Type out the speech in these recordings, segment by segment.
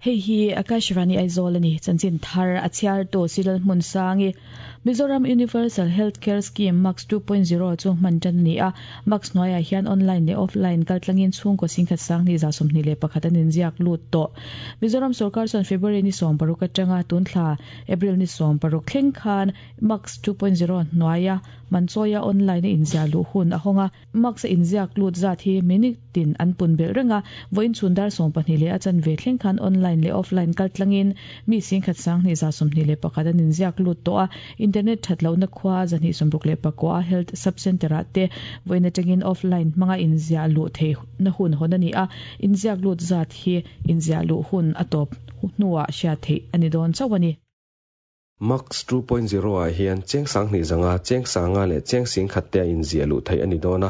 Hei hi Akashvani Aizawl a ni. Chanchin thar a chhiartu Silal Hmunsangi. Mizoram Universal Health Care Scheme MACS 2.0 chu hman tan a ni a. MACS hnuaiah hian online leh offline kaltlangin chhungkaw singkhat sanghnih 21 an inziak lut tawh. Mizoram sorkar chuan February ni 16 atanga tun thla April ni 16 thleng khan MACS 2.0 hnuaia manchawia online a inziah luh hun a hawng a. Max a inziak lut zat hi minute tin an pun belh reng a, vawiin chhun dar 12 leh a chanve thleng khan online leh offline kal tlangin mi singkhat sanghnih 21 an inziak lut tawh a, internet that lohna khua 269 a health sub centre ah te vawiin atangin offline hmanga inziah luh theihna hun hawn a ni a, inziak lut zat hi inziah luh hun a tawp hnuah hriat theih a ni dawn chauh a ni. Max 2.0 ah hian cheng sanghnih zanga, cheng sanga leh cheng sing khat te a inziah luh theih a ni dawn a.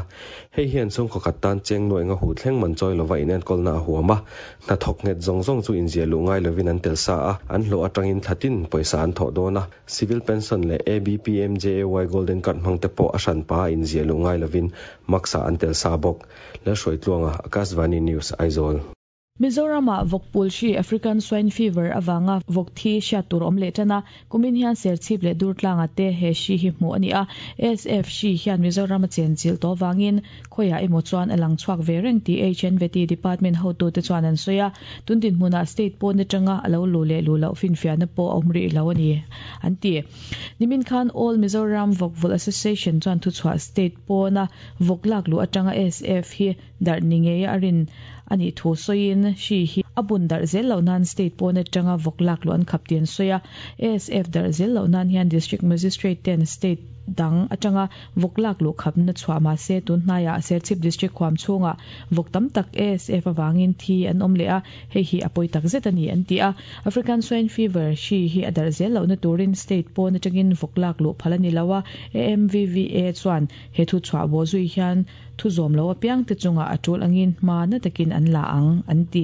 Hei hian chhungkaw khat tan cheng nuaih nga huh thleng man chawi lova inenkawlna a huam a. Hnathawk nghet zawng zawng chu inziah luh ngai lovin an tel sa a, an hlawh atangin thla tin pawisa an thawh dawn a. Civil Pension leh ABPMJAY Golden Card hmang te pawh a hranpa a inziah luh ngai lovin Max ah an tel sa bawk. Lalhruaitluanga, Akashvani News, Aizawl. Mizoram-ah vawk pul hri African Swine Fever avanga vawk thi hriat tur awm leh tan a, kumin hian Serchhip leh Durtlanga te he hri hi hmuh a ni a. ASF hri hian Mizoram a chenchilh tawh avangin khawiah emaw chuan a lang chhuak ve reng tih HNVT department hotute chuan an sawi a. Tun dinhmunah state pawn atanga a lo luh leh luh loh finfiahna pawh a awm rih lo a ni, an ti. Nimin khan All Mizoram Vawkvulh Association chuan thuchhuah state pawna vawk lak luh atanga ASF hi Darh ni ngei a rin a nih thu sawiin hri hi a bun darh zel loh nan state pawn atanga vawk lak luh an khap tih an sawi a. ASF darh zel loh nan hian District Magistrate ten state dang atanga vawk lak luh khapna chhuah mah se tun hnaiah Serchhip District huam chhungah vawk tam tak ASF avangin thi an awm leh a, hei hi a pawi tak zet a ni an ti a. African Swine Fever hri hi a darh zel lohna turin state pawn atangin vawk lak luh phal a ni lo a, AMVVA chuan he thu chhuah bawh zui hian Thu zawm lo apiangte chungah a tul angin hma na takin an la ang, an ti.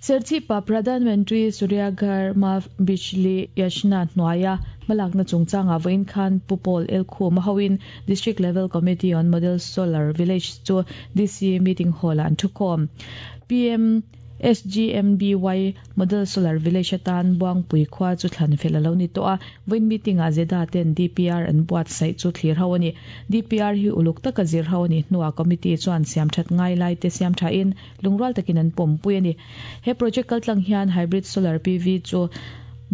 Serchhipa Pradhan Mantri Surya Ghar Maaf Bijli Yojana hnuaia hmalakna chungchangah vawiin khan Pu Paul Elkhum a hoin District Level Committee on Model Solar Village chu DC Meeting Hall-ah an thukhawm. PM SGMBY Model Solar Village atan Buangpui khua chu thlan fel a lo ni tawh a, vawiin meeting-ah Zeda ten DPR an buatsaih chu thlir ho a ni. DPR hi uluk taka zir ho a nih hnuah committee chuan siamthat ngai lai te siam thain lungrual takin an pawmpui a ni. He project kaltlang hian Hybrid Solar PV chu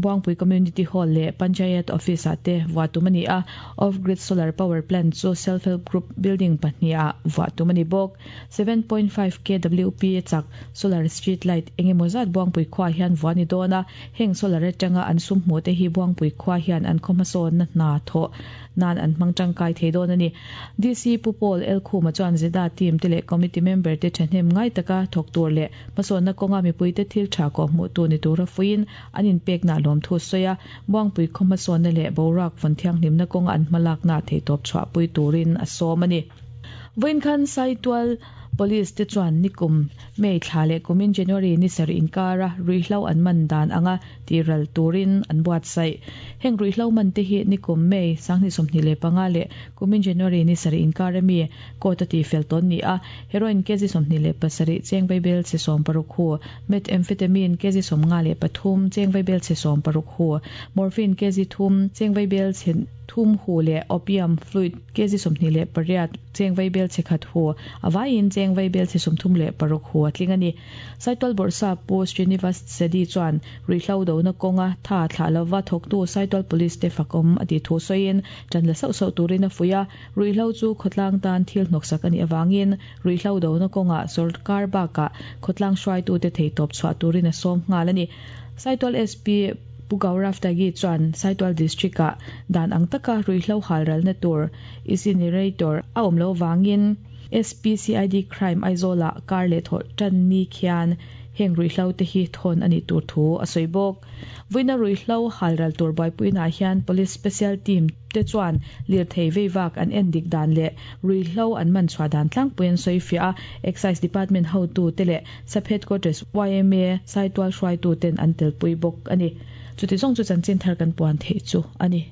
Buangpui Community Hall leh Panchayat Office-ah te vuah tum a ni a, Off-Grid Solar Power Plant chu Self Help Group building pahnihah vuah tum a ni bawk. 7.5 kWp chak solar street light eng emaw zat Buangpui khua hian vuah a ni dawn a, heng solar atanga an sum hmuh te hi Buangpui khua hian an khaw hmasawnna hna thawh nan an hmang tangkai thei dawn a ni. DC Pu Paul Elkhuma chuan Zeda team te leh committee member te thahnem ngai taka thawk tur leh hmasawnna kawnga mipuite thil tha kawh hmuh tu ni tura fuiin an inpekna lawmthu a sawi a, Buangpui khaw hmasawnna leh boruak vawn thianghlimna kawnga an hmalakna theihtawp chhuahpui turin a sawm a ni. Vawiin khan Saitual Police te chuan nikum May thla leh kumin January ni sarih inkara ruihhlo an man dan anga tihral turin an buatsaih. Heng ruihhlo man te hi nikum May 2025 leh kumin January ni sarih inkara mi court a tihfel tawn ni a, heroin kg 27 cheng vaibel chhe 60 hu, methamphetamine kg 53 cheng vaibel chhe 60 hu, morphine kg 3 cheng vaibel chhe 3 hu leh opium fluid kg 28 cheng vaibel chhe khat hu, a vaiin cheng vaibel chhe 36 hu a tling a ni. Saitual Bawrhsa Pu Srinivas Sedi chuan ruihhlo dona kawnga tha thlah lova thawktu Saitual Police te fakawm a tih thu sawiin tan la sauh sauh turin a fuih a, ruihhlo chu khawtlang tan thil hnawksak a nih avangin ruihhlo dona kawngah sawrkar bakah khawtlang hruaitute theitawp chhuah turin a sawm nghal a ni. Saitual SP Pu Gaurav Tyagi chuan Saitual District-ah dan ang taka ruihhlo halralna tur incinerator a awm loh vangin SPCID Crime Aizawl-ah kar leh thawh tan ni khian heng ruihhlo te hi thawn a nih tur thu a sawi bawk. Vawiina ruihhlo halral tur buaipuinaah hian Police Special Team te chuan lirthei veivak an en dik dan leh ruihhlo an man chhuah dan tlangpui an sawi fiah a, Excise Department hotu te leh Sub Headquarters yma Saitual hruaitu ten an telpui bawk a ni. Chuti zawng chu chanchin thar kan puan theih chu a ni.